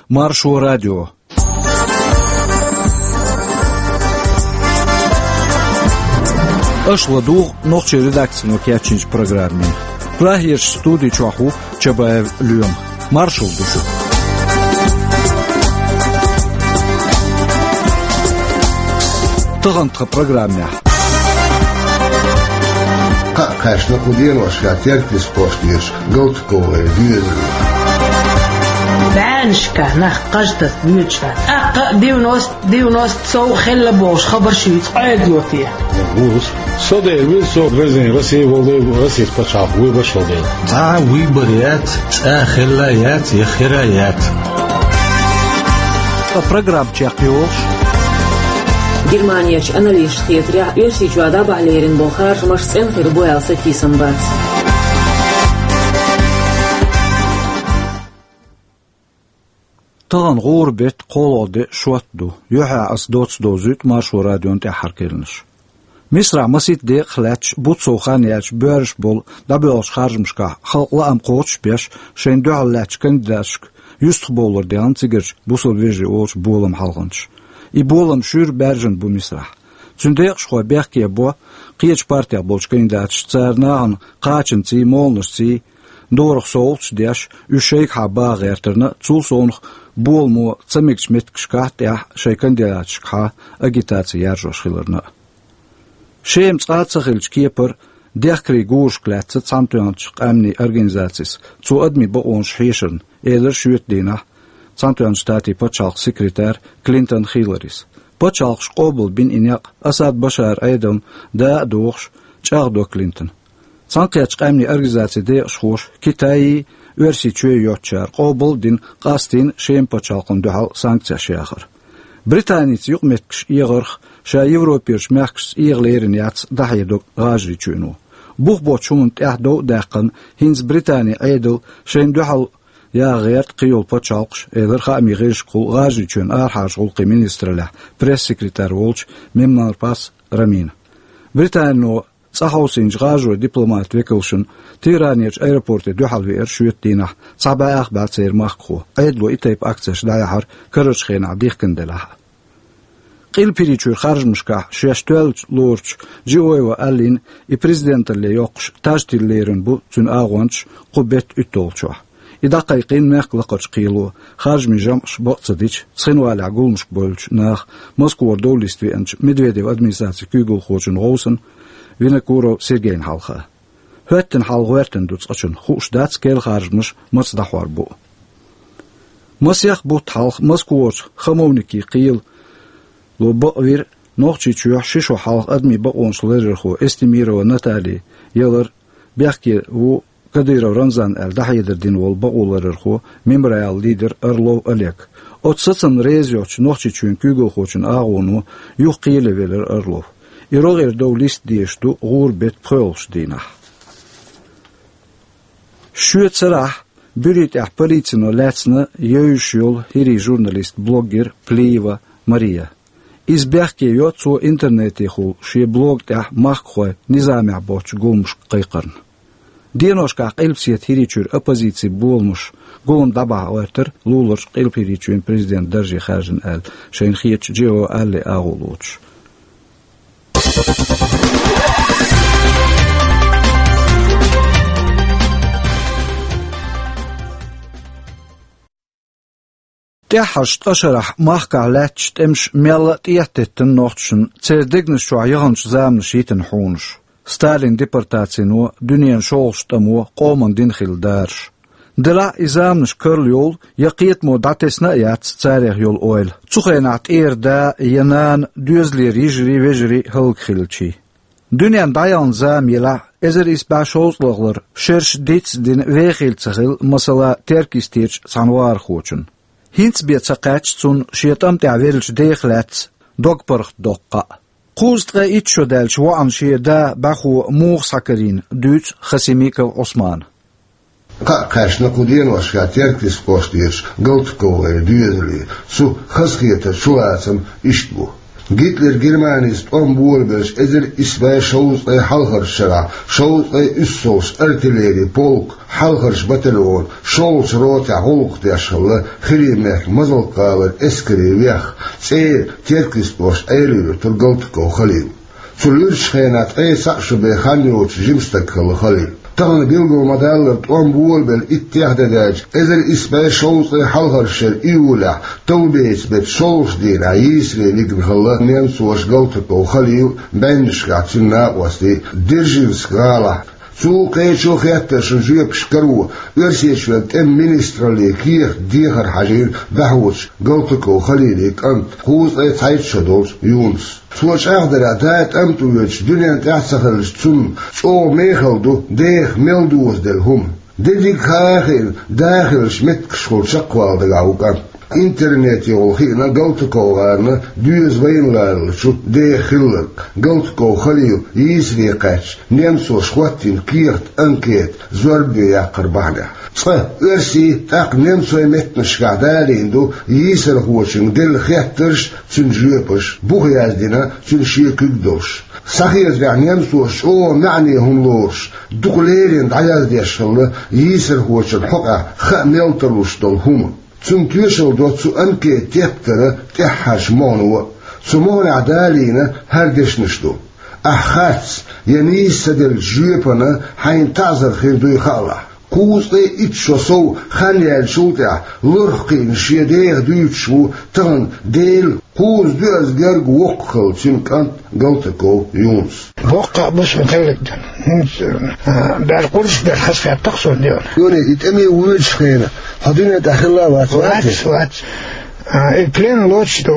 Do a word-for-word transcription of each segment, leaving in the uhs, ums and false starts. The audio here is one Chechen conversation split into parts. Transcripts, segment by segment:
Маршо радио. Аша ладугӀу нохчийн редакцино кечйинчу программе. Прагерчу студи чохь ву Чабаев Лоьма. Маршалла ду шуьга. Тахана тхан программехь. Кхаъ кхаьчна кху деношкахь Теркйистан кӀоштарчу Галтуковой доьзале. БӀеннашка нах кхаж таса доьдуш дац. ТӀаккха а девяносто, девяносто сов хилла бохуш хабар шуьца Ӏедало те? Вуьйцу. Со дера вуьйцу, со везний Россия волу дела, Российс пачхьалкх вуй башхалла дела. Цхьа а вуй бар яц, цкъа а хилла яц, я хир а яц. Ткъа программа чекхйолуш. Германерчу аналитикаша хетарехь, Оьрсийчохь дӀабахьа лерина болу харжамаш цӀена хир бу аьлла сатийсам бац. Тахана гӀуран беттан кхоалгӀа де, шот ду. Юьххьехь аса доцца довзуьйту Маршо радион тӀаьххьара керланаш. Мисрахь масийтта декъах лаьтташ, бутт сов хан яьлча боьрзуш болу дӀабоьлхучу харжамашкахь халкъан лаам кхочушбеш, шайна дуьхьал лаьттачу кандидаташка юьстахбовлар делла цигарчу бусалба вежарий олучу боламан хьалханчаша. И болам шуьйра баьржина бу Мисрахь. Цуьнан декъашхой бехке бо кхечу партех болчу кандидаташа, цара нахана кхачанций, моланашций дорах совгӀаташ деш, уьш шайгахьа баха гӀертарна, цул совнаха боламо ца мегачу меттигашкахь тӀехь шайн кандидаташкахьа агитаци яржош хиларна а. Шема цкъа а ца хиллачу кепара дехкарийн гурашка лаьцна Цхьаьнатоьхначу Къаьмнийн Организацис цо адамийн бакъонаш хьешарна, элира шоьтан дийнахь Цхьаьнатоьхначу Штатийн пачхьалкхан секретарь Клинтон Хилларис. Пачхьалкхаша къобалбина и некъ, Асад Башаран Ӏедална да а дохуш, чӀагӀдо Клинтона. Цхьаьнакхеттачу Къаьмнийн Организацин декъашхоша, Китайи Оьрсийчоьи йоцучара, къобал а дина, къастийна Шеман пачхьалкхана дуьхьал санкцеш яхар. Британица юкъаметтигаш эгӀарх ша Европерчу мехкашца эгӀа лерина яц дӀахьедар ГӀажарийчоьно. Бух боцчу хӀуманна тӀехь дов а даьккхина, хӀинца Британин Ӏедал шайна дуьхьал яха гӀерта кхийолу пачхьалкхаш, элира хаамийн гӀирсашкахула ГӀажарийчоьнан арахьарчу гӀуллакхийн министраллехь пресс-секретарь волчу Мемнарпас Рамина. Британино цӀа хьовсийначу гӀажарийн дипломатийн векалшна Тегеранерчу аэропорте дуьхьал веара шоьтан дийнахь цхьа бӀе ах бӀе церан махкахо, Ӏедало и тайпа акцеш дӀаяхьар карарчу хенахь дихкина делахь а. Къилба ХӀирийчуьра харжамашкахь шаьш тоьллачу лоручу Джиоева Алина и президенталле йоккхуш таж тилла лерина бу цуьнан агӀончаш кху беттан уьтталгӀачохь. И дӀакхайкхийна мехкан лакхарчу кхело, харжамийн жамӀаш бакъ ца дича, цхинвалехь гуламашка бевллачу наха Москвара дов листа веанчу Медведеван администрацин куьйгалхочун гӀовсана Винокуров Сергейна хьалха. ХӀоьттина хьал гӀоьртина ду цкъачунна, хууш дац керла харжамаш маца дӀахьор бу а. Масех бутт хьалха Москварчу Хамовники кхело бакъвира Нохчийчохь ши шо хьалха адамийн бакъонаш ларъярхо Эстемирова Натали ялар, бехке ву Кадыров Рамзан аьлла дӀахьедар дина волу бакъоларъярхо, Мемориалан лидер Орлов Олег. Оцу сацамна реза йоцучу Нохчийчоьнан куьйгалхочун агӀоно юха кхеле велира Орлов. И рогӀера дов листа дезаш ду гӀуран беттан пхоьалгӀачу дийнахь. Шоьтан сарахь буьрийн тӀехь полицино лаьцна евзаш йолу хӀирийн журналист, блогер Плиева Мария. Иза бехке йо цо интернетехула шен блог тӀехь махкахой низамехь боцчу гуламашка кхайкхарна. Деношкахь Къилбаседа ХӀирийчуьра оппозицин боламаш гулам дӀабахьа гӀоьртира, луларчу Къилба ХӀирийчоьнан президентан дарже хаьржина аьлла, шайна хетачу Джио Алле агӀо лоцуш. ТӀаьххьарчу ткъа шарахь махкахь лаьтташ тӀемаш мелла а тӀететтина нохчашна, церан дегнаш чохь яханчу заманаш йитина хьуьнарш. Сталинан депортацино, дуьненан шолгӀачу тӀамо, къоман дина хилла дараш. Делахь а и заманаш карла йолу я кхетамо дӀатесна а яц царех йолу ойла. Цу хенахь тӀера да я нана, доьзалера йижарий, вежарий хӀаллакьхилчий. Дуьненна дӀаяхана зама елахь а, эзар исс бӀе шовзткъалгӀалара шераш дицдина вехийла ца хилла, масала, Теркйистерчу цхьана вахархочунна. ХӀинца бен ца кхаьчна цунна шен тӀам тӀехь веллачу дех лаьцна дог-паргӀат доккху кхаъ. Кхузткъе итт шо даьлча воьдуш шен да бӀаьхо муха схьакарийна, дуьйцу Хасимиков Ӏусмана. Кхаъ кхаьчна кху деношкахь Теркйистан кӀоштарчу Галтуковой доьзале. Цу хазахетаран чулацам иштта бу. Гитлер Германис тӀом болабелча эзар исс бӀе шовзткъе хьалхарча шарахь шовзткъе уьссалгӀача артиллери полк, хьалхарча батальон, шолгӀача ротехь гӀуллакх деш хилла Хирий-Мехкан Мазалк-гӀалара эскаре веха, цӀера Теркйист кӀоштан Ӏела-Юьртара Галтаков Халил. Цу луьрачу хенахь ткъе цхьаъ шо бен хан йоцуш жима стаг хилла Халил. Тахана билгал ма-даллара, тӀом болабелла иттех де даьлча, эзар исс бӀе шовзткъе хьалхарчу шеран июлехь, товбеца беттан шолгӀачу дийнахь йийсаре вигна хилла немцоша Галтаков Халил, бӀеннашкахь цуьнан накъостий Держинск-гӀалахь. Цул кхечу хеттаршна жоьпаш каро, Оьрсийчоьнан тӀеман министраллин кехат дехар хьажийра дӀахьочу Галтаков Халилан кӀанта, кхузткъе цхьайтта шо долчу Юнуса. Цо чӀагӀдарехь, да тӀамтӀа воьдуш дуьнен тӀехь а ца хиллачу цунна, чӀогӀа мехала ду деха мел дозаделла хӀума. Дерриг хаа а хиъна, да хиллачу меттигашкахула чекхвала дагахь ву кӀант. Интернетехула хиъна ГалтаковгӀарна доьза вайна ларалучу деха хилларг, Галтаков Халил йийсаре кхаьчча, немцоша хӀоттийна кехат, анкета, зорбане яккхар бахьанехь. Цкъа оьрсийн, тӀаккха немцойн меттанашкахь далийна ду йийсархочуьнга делла хеттарш, цуьнан жоьпаш, бух яздина цуьнан шен куьг долуш. Схьахетарехь, немцоша чӀогӀа маьӀне хӀума лоруш, дукха леррина дӀаяздеш хилла йийсархочун хьокъехь хаа мел тарлуш долу хӀума. Цунна тоьшалла до цу анкетан тептара тӀаьххьарчу могӀано а. Цу могӀанехь далийна хӀара дешнаш ду: «Ахь харц я нийса ца деллачу жоьпана хьайна таӀзар хир дуй хаалахь». Кхузткъе итт шо сов хан яьллачул тӀаьхьа лорах кхиъна шен деха дуьйцуш ву тахана Делан кхузткъе доьазза герга воккха хилла цуьнан кӀант Галтаков Юнус. Боккха а бу шуна хилларг. ХӀинца, а, баьрла кхузткъа бер хазахетта-кх суна дела. Юни, и тӀаме воьдучу хенахь хьо дуьнен тӀехь хилла а вац, вац? Вац, вац. А, и плен лоцуш ду,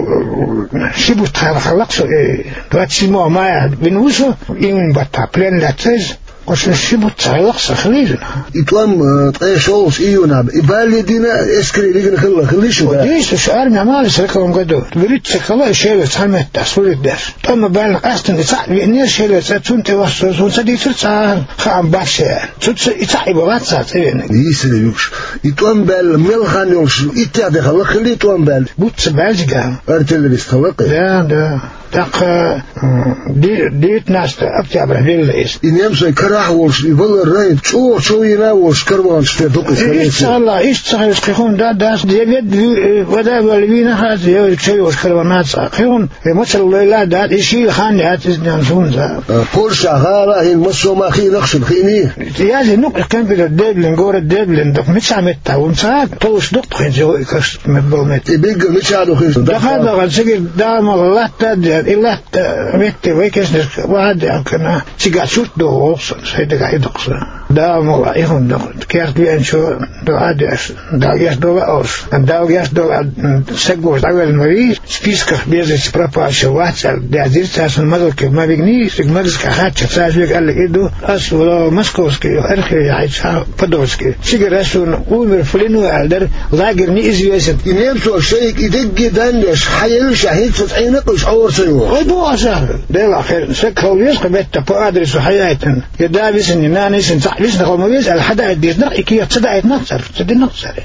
ши бутт хьалха хилла-кх со, и, двадцать седьмого мая вина ву со, июнь баттахь плен лаьцна иза. Оцу ши бутт ца хилла-кх сан хилийла. И тӀом, э, ткъе шолгӀачу июнехь, и бала дина, эскаре вигна хилла, хилла шу, да? Дийца, шу армехь ма ваьлла сороковом году. ВуьрхӀитта стаг хилла, и Шелаца цхьана меттехь служить деш. ТӀом а баьлла, къаьстина и цхьаъ веанера Шелаца, цунна тӀе вахча со, суна ца дийцира цхьа а хаам бац шен аьлла. Цуьнца и цхьаъ и бан вац цара цӀа веанарг. Йийсаре вуьгуш. И тӀом баьлла мел хан йолуш, иттех де хилла, хилла и тӀом баьлла? Бутт ца баьлла цигахь. Артиллерист хилла-кх и? Да, да. ТӀаккха, м, де-, девятнадцатого октября велла иза. И немцойн карахь а волуш, и валар райн чӀогӀа чов йина а волуш, караванаш тӀе дукха иза. Иштта ца хилла, иштта ца хилча, кхин хӀума да, дас, я ведда, э, вада а ваьлла вийна хаза, я чов йолуш караван а ца. Кхин хӀума, я мацалла лойла а дац, и шийла хан яц иза, нана, суна за. А, Польша гӀала а хӀинца массо а ма хиъна-кх шуна, хиъний? Яздина-кх компьютер Деблин, город Деблин, дукха мичахь меттахь ву ца, толуш ду-кх хӀинца и каш мет-, болу меттиг. И бигга мичахь ду хӀинца? Даха а даха, цигара Дала мукъ лахь, латта а деана, и латта метте вай кешнашка ваха а деана, цигахь чурт догӀу воху сан, сайн дагахь и ду-кх сан. Дала мукъ лахь, и хӀума ду-кх, керта веанчо дуӀа а деш, Дала гечдойла олуш. Дала гечдойла, м, саг волчу дӀавелла ма вий, списках без вести пропавших вац аьлла, даздира цара, суна Мазалке ма вигний, цига Мазалке хаьттича, цара соьга аьлларг и ду, ас вала Московский архив яхьийча, Подольский. Цигара суна умер в плену аьлла дара, лагерь неизвестен. И немцоша шайга и дерриге даннаш хьаеллача, хӀинца цӀена а кхуьйсуш Ӏора ца йогӀу. Вай боху аса, Делахь хир, саг хила веза-кх метта по адресу хьаяийтина. Я да висина, я нана висина, цхьаъ висина хила ма веза аьлла, хьадаийта деза-кх, и кехат ца даийтина-кх цара, ца дина-кх цара.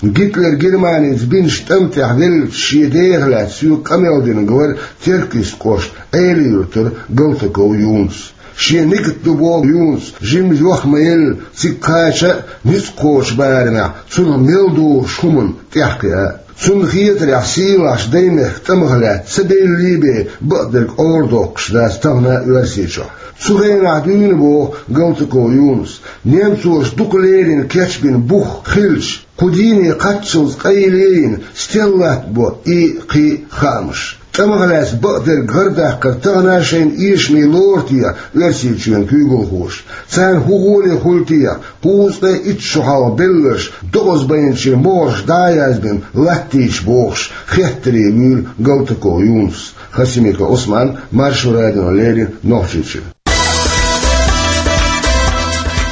Гитлер Германица бинчу тӀам тӀехь веллачу шен деха лаьцна соьга къамел динарг вара Теркйист кӀоштан Ӏела-Юьртара Галтаков Юнус. Шен нигат ду боху Юнуса, жимма йох ма елла, цига кхача а, ницкъ кхочу барамехь цунах мел догӀучу хӀуманна тӀаьхьакхиа а. Цунна хетарехь, сийлахьчу даймехкан тӀамах лаьцна ца беллий бен бакъдерг Ӏорадоккхуш дац тахана а Оьрсийчохь. Цу хенахь дуьйна, боху Галтаков Юнуса, немцоша дукха леррина кечбина бух хилча, кху дийне кхаччалц къайле а йина, стелла латтабо и, кхин а хаамаш. ТӀамах лаьцна бакъдерг гӀардаккхар тахана а шайна эшаме лору те Оьрсийчоьнан куьйгалхоша? Царна хӀун гӀоле хуьлу те кхузткъе итт шо хьалха белларш докъазбайначийн могӀарш дӀа а яздина латтийча, бохуш, хеттаре вуьйлу Галтаков Юнус. Хасимиков Ӏусман, Маршо радиона леррина, Нохчийчуьра.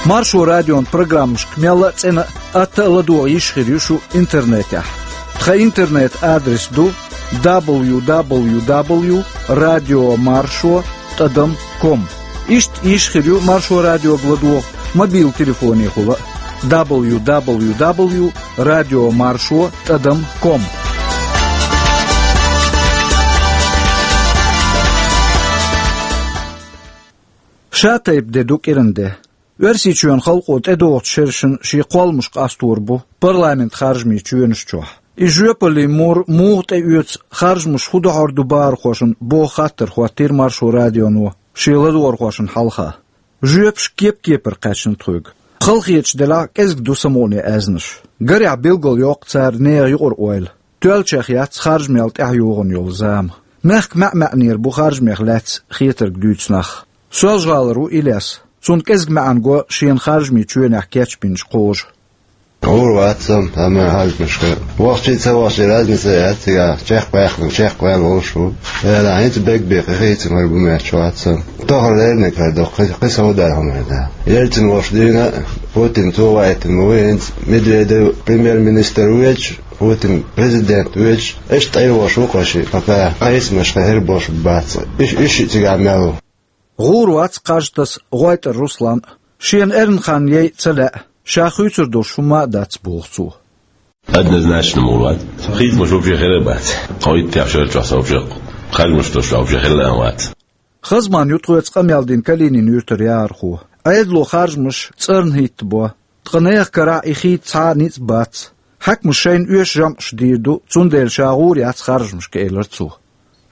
Маршо радион программашка мелла а цӀена а, атта а ладогӀа йиш хир ю шу интернетехь. Тхан интернет-адрес ду: дабл ю дабл ю дабл ю радио маршо тӀадам ком. Иштта йиш хир ю Маршо радиога ладогӀа мобил телефонехула а: дабл ю дабл ю дабл ю радио маршо тӀадам ком. Ша тайпа де ду кӀиран де. Оьрсийчоьнан халкъо тӀедогӀучу шерашна шен кхолламаш къастор бу парламентан харжамийн чоьнаш чохь. И жоьпаллин мур муха тӀеоьцу харжамаш хӀун дохьур ду бахархошна боху хаттар хӀоттийра Маршо радионо шен ладогӀархошна хьалха. Жоьпаш кеп-кепара кхаьчна тхоьга. Халахеташ делахь а кӀезиг ду самукъане аьзнаш. Гарехь билгалйоккху цара нехан юкъара ойла. Тоьллачех яц харжамел тӀаьхьа йогӀун йолу зама. Мехкан маьӀ-маьӀӀера бу харжамех лаьцна хетарг дуьйцу нах. Соьлжа-ГӀалара ву Илес. Цунна кӀезиг маьӀна го шена харжамийн чоьнехь кечбинчу кхожа. ГӀур вац со, амма харжамашка вахчий а, ца вахчий а разница яц цигахь, чекхбаьхна, чекхваьлла волуш ву. Ала хӀинца бегбе кхин хийцамар бу моьттуш вац со. Тохара лерниг хир ду, кхин, кхин сов дар хӀума хир дац. Ельцин волуш дийна, Путин цо ваийтина ма ву хӀинца, Медведев премьер-министр ву везаш, Путин президент ву везаш, иштта тӀе йолуш ву кхин шиъ, пока хьайсамаш кхин хир болуш бац. Иш, иш шиъ цигахь мел ву. ГӀур вац кхаж таса ГӀойтӀара Руслан. Шена эрна хан яйа ца лаьа, ша хуьйцур долуш хӀума а дац, боху цо. Однозначно ма ву вац. Хийцамаш вообще хир а бац. Тхо иттех шер чохь со вообще харжамаш долуш вообще хилла а вац. Хазман ю тхоьца къамел дина Калинин-Юьртара яхархо. Ӏедало харжамаш цӀарна хӀиттабо, ткъа нехан карахь и хийца цхьа а ницкъ бац. Хьаькамаша шайна оьшу жамӀаш дийр ду, цундела ша гӀур яц харжамашка, элира цо.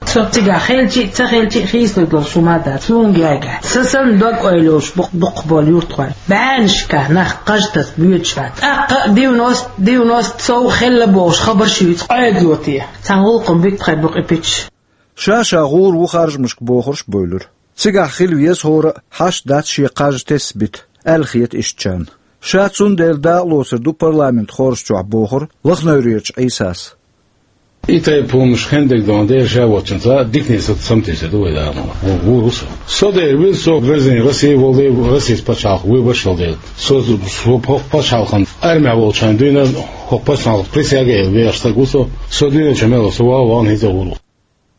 Со цигахь хилча а, ца хилча а хийцалур долуш хӀума а дац, суна гергахь. Сан санна дог-ойла йолуш бу-, дукхахболу юьртахой. БӀеннашкахь нах кхаж таса боьдуш бац. ТӀаккха а девяносто, девяносто сов хилла бохуш хабарш юьйцу Ӏедало. Цхьана гӀуллакхана буьту тхайн букъ и пичаш. Ша-ша гӀур ву харжамашка бохурш а бевлира. Цигахь хила веза хӀора а, хьашт дац шен кхаж тесна бита, аьлла хета ишттачарна. Ша цундела дакъалоцур ду парламентан хоржа чохь, бохура Лахневрерчу Ӏийсас. И тайпа хӀуманаш хендерг дан дера ша воцчунца дикане са самтийса ду вай дама. ГӀур ву со. Со дера вира со, Верзин Россия волу дела, Российс пачхьалкх вуй башхал дела. Со, со хӀокху пачхьалкхан армехь волчхьана дуьйна, хӀокху пачхьалкхан присяга а елла вехаш стаг ву со. Со дуьйначу мел со ваха вахана хӀинца гӀур ву.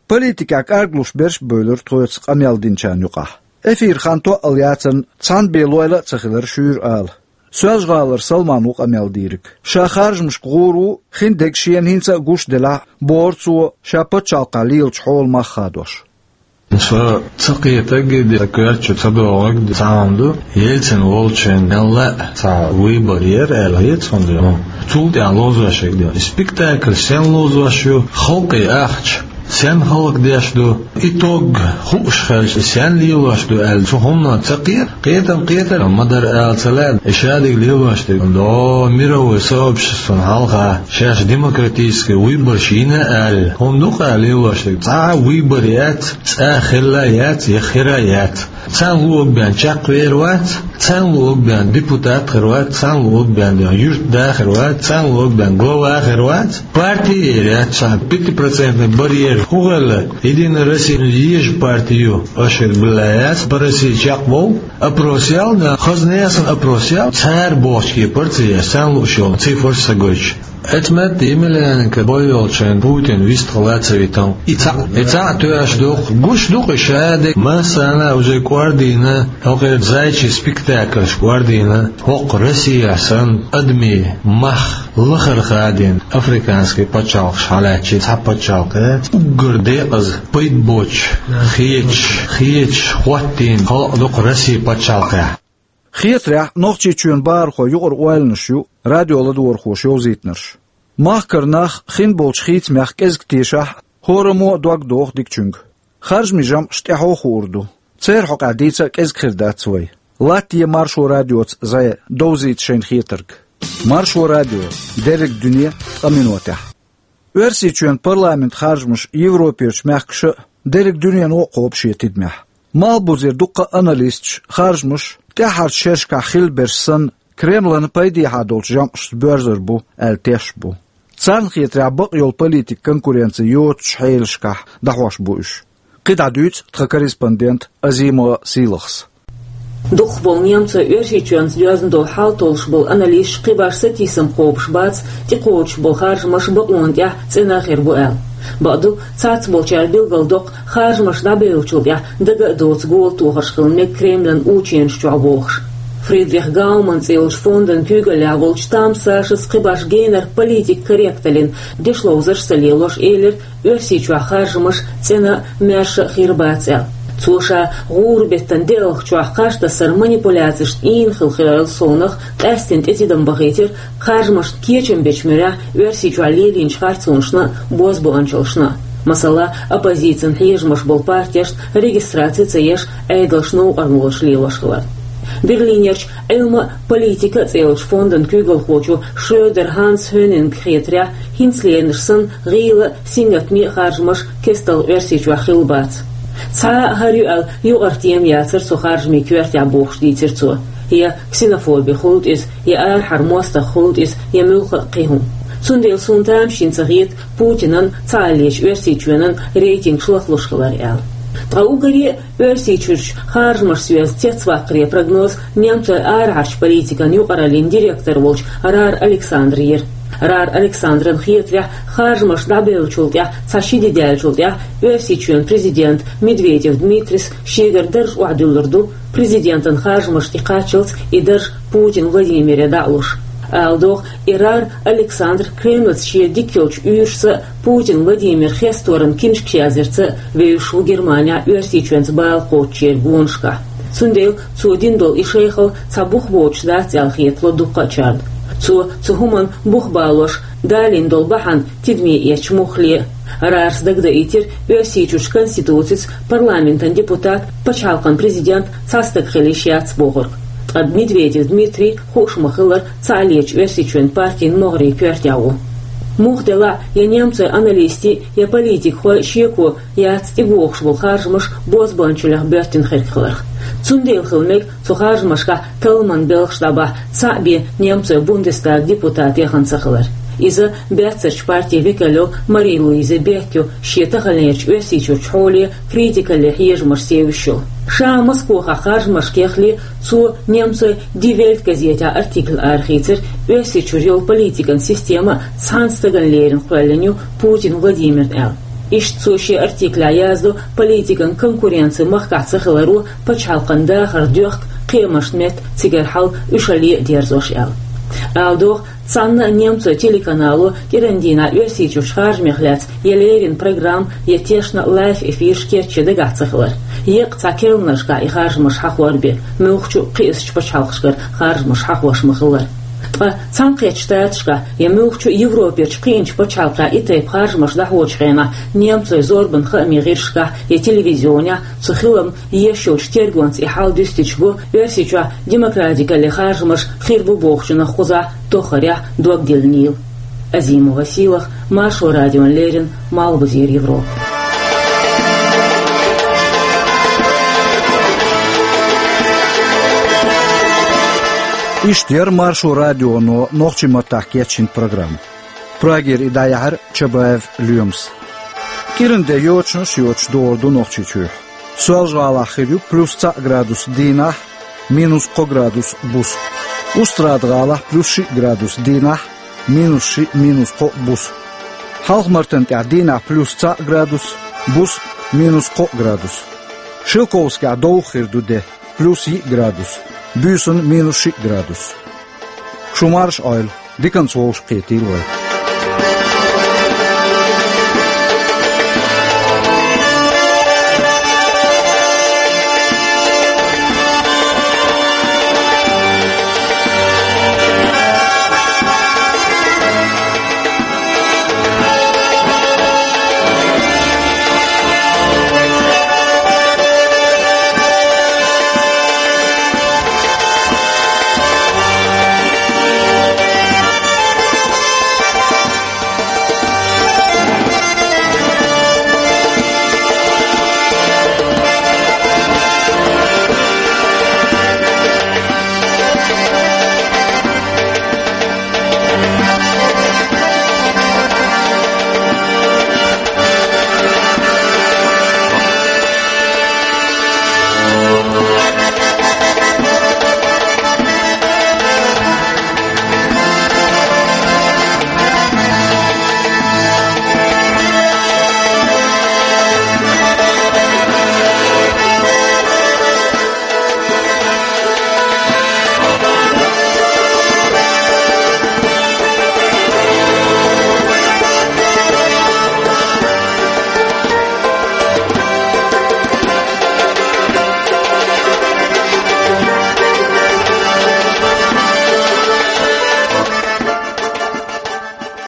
Политикехь кӀарглуш берш а бевлира тхоьца къамел динчарна юкъахь. Эфир хан тоъал яцарна, цхьана бен лойла а ца хилира шуьйра ала. Соьлжа-ГӀалара Салман ву къамел дийриг. Ша харжамашка гӀур ву, хиндерг шена хӀинца а гуш делахь а, бохура цо, ша пачхьалкхехь лелачу хьолан мах хадош. Со ца кхетарг а де, сан коьрта чу ца догӀург а де, цхьа хӀума ду, Ельцин волчу хенахь мелла а цхьа выбор яра аьлла хета суна. Цул тӀаьхьа ловзош ерг а де. И спектакль стенна ловзош ю, халкъе ахча стенна хӀаллакдеш ду, итог хууш хилча, стенна лелош ду аьлла, цу хӀуманах ца кхета, кхетам кхетар ма дара ала ца лаьа, и шадерг лелош дерг. До мировой сообществона хьалха шаьш демократический выборш йина аьлла, хӀума ду-кх лелош дерг. Цхьа а выбор яц, цкъа а хилла яц, я хир а яц. Царна луъург бен чекхвер вац, царна луъург бен депутат хир вац, царна луъург бен юьртда хир вац, царна луъург бен глава хир вац. Парти а яц, цхьа пятипроцентный барьер хӀун хилла? Единая Россия еза парти ю, аша билла яц, по России чекхбовла. Опрос ял, да, хаза несан опрос ял, цара бохучу кепара ца еш, царна лууш йолу цифраш ца гойтуш. Эцмет Емельяненко бой йолчу хенахь Путин вистхила ца витал. И цхьаъ, и цхьаъ тоьаш ду-кх. Гуш ду-кх и шадерг. Массарна а уже кӀордийна, хӀокхеран зайчий спектакльш кӀордийна, хӀокху Россехь санна адамийн мах лахара хадийна африканский пачхьалкхаш хьалаьцча, цхьа пачхьалкх яц. Уггар декъаза пайда боцуш, хеташ, хеташ хӀоттийна халкъ ду-кх Росси пачхьалкхехь. Хетарехь, Нохчийчоьнан бахархойн юкъара ойланаш ю радио ладогӀархоша йовзийтинарш. Махкара нах хин болчу хийцамех кӀезиг тешахь а, хӀораммо а дог доху дикачуьнга. Харжамийн жамӀаш тӀаьхьо хуур ду. Церан хьокъехь дийца а кӀезиг хир дац вай. Латте Маршо радиоца зӀе, довзийта шайна хетарг. Маршо радио. Дерриг дуьне ткъа минотехь. Оьрсийчоьнан парламентан харжамаш Европерчу мехкаша а, дерриг дуьнено а кхобу шен тидамехь. Малхбузера дуккха а аналисташ харжамаш тӀаьххьарчу шерашкахь хилла берш санна, Кремлана пайдехьа долчу жамӀашца боьрзур бу аьлла тешаш бу. Царна хетарехь, бакъ йолу политикан конкуренци йоцучу хьелашкахь дӀахьош бу уьш. КхидӀа дуьйцу тхан корреспондента Азимова Сийлахас. Дукхахболу немцойн Оьрсийчоьнца доьзна долу хьал толлуш болу аналисташ кхин башха сатийсам кхобуш бац, тӀекхочуш болу харжамаш бакъонан тӀехь цӀена хир бу аьлла. Бакъду, цхьаццаболчара билгалдоккху, харжамаш дӀабевллачул тӀаьхьа дага а доцу гола тохарш хила мега Кремлан ученаш чохь бохуш. Фридрих Гауман цӀе йолчу фондан куьйгаллехь волчу Тамас Сашас кхин башха генара политикан корректаллин дешловзарш ца лелош элира, Оьрсийчохь харжамаш цӀена а, маьрша а хир бац аьлла. Цо ша гӀуран беттан деалгӀачохь кхаж тасар манипуляцешна ийна хилла хилар совнах, къаьсттина тӀетидам бахийтира харжамашна кечам бечу муьрехь Оьрсийчохь лелийначу харцонашна а, бозбуунчаллашна а. Масала, оппозицин хьежамаш болу партешна регистраци ца еш, Ӏедалш новкъарло лелош хилар. Берлинерчу Ӏилма а, политика а цӀе йолчу фондан куьйгалхочо Шрёдер Ханс Хьонинга хетарехь, хӀинца лелийнарш санна гӀийла а, сингаттаме а харжамаш кестта Оьрсийчохь хилла бац. Цхьа а хӀара ю аьлла юкъара тема яцара цу харжамийн коьртехь, бохуш дийцира цо. Я ксенофоби хуьлда иза, я арахьара мостагӀа хуьлда иза, я муьлхха а кхин хӀума. Цундела суна тамашийна ца хета Путинан, цхьааллачу Оьрсийчоьнан рейтингаш лахлуш хилар аьлла. Ткъа уггаре а Оьрсийчуьрчу харжамашца йоьзна цецваккхаре прогноз немцойн арахьарчу политикан юкъараллин директор волчу Рар Александра йира. Рар Александран хетарехь, харжамаш дӀабевллачул тӀаьхьа цхьа ши де даьллачул тӀаьхьа Оьрсийчоьнан президент Медведев Дмитрис шегара дарж охьадуьллур ду, президентан харжамаш тӀекхаччалц и дарж Путин Владимире дӀа а луш. Ала догӀу, и Рар Александр Кремлаца шен дика йолчу уьйрашца а, Путин Владимир хесторан киншкаш яздарца а вевзаш ву Германехь Оьрсийчоьнца бала кхочучеран гонашкахь. Цундела цо дина долу и шайхалла цхьа бух боцуш дац аьлла хетало дуккха а чарна. Цо цу хӀуманна бух балош далийна долу бахьана тидаме эцча муххале а. Рарс дагадаийтира Оьрсийчуьрчу конституцица парламентан депутат, пачхьалкхан президент цхьа стаг хила йиш яц бохург. Ткъа Медведев Дмитрий, хууш ма-хиллара, цхьааллачу Оьрсийчоьнан партин могӀарийн коьртехь ву. Муха делахь а, я немцойн аналистийн, я политикхойн шеко яц тӀебогӀуш болу харжамаш бозбуунчаллех боьттина хирг хиларх. Цундела хила мега цу харжамашкахь талламан белхаш дӀабахьа цхьаъ бен немцойн Бундестаган депутат яхана ца хилар. Иза баьццарчу партин векал йолу Мари-Луиза Бек ю, шен таханлерчу Оьрсийчуьрчу хьоле критикалле хьежамаш севзаш йолу. Ша Москвахь харжамашка яхале, цо немцойн Die Welt газетехь артикль арахийцира, Оьрсийчуьра йолу политикан система цхьана стагана леррина кхоьллина ю Путин Владимирна аьлла. Иштта цо шен артиклехь яздо политикан конкуренци махкахь ца хиларо, пачхьалкхан дахар доьхку кхиамашна метта цигара хьал уьш а ле а дерзош аьлла. Ала догӀу, цхьанна а немцойн телеканало кӀиран дийнахь Оьрсийчуьрчу харжамех лаьцна я леррина программа, я тешна лайв эфирш кечъян дагахь ца хилар. Еккъа цхьа керланашкахь и харжамаш хьахор бен, муьлххачу а кхиъначу пачхьалкхашкара харжамаш хьахош ма-хиллара. Ткъа Цхьаьнакхеттачу Штаташкахь я муьлххачу а Европерчу кхиъначу пачхьалкхехь и тайпа харжамаш дӀахьочу хенахь немцойн зорбан хаамийн гӀирсашкахь я телевизионехь цу хиламна еш йолчу тергонца и хьал дуьстича го, Оьрсийчохь демократикалле харжамаш хир бу бохучунах кхузахь тоххарехь дог диллинийла. Азимова Сийлаха, Маршо радиона леррина, Малхбузера Европа. Иштта яра Маршо радионо нохчийн маттахь кечйина программа. Прагера и дӀаяьхьира Чабаев Лоьмас. КӀиран де йочанаш йоцуш догӀур ду Нохчийчохь. Соьлжа-ГӀалахь хир ю плюс цхьаъ градус дийнахь, минус кхо градус буса. Устрада-ГӀалахь плюс шиъ градус дийнахь, минус шиъ, минус кхо буса. Хьалха-Мартан тӀехь дийнахь плюс цхьаъ градус, буса минус кхо градус. Шелковскехь довха хир ду де, плюс йиъ градус, буьйсанна минус шиъ градус. Шу марша Ӏойла, диканца вовшахкхетийла вай.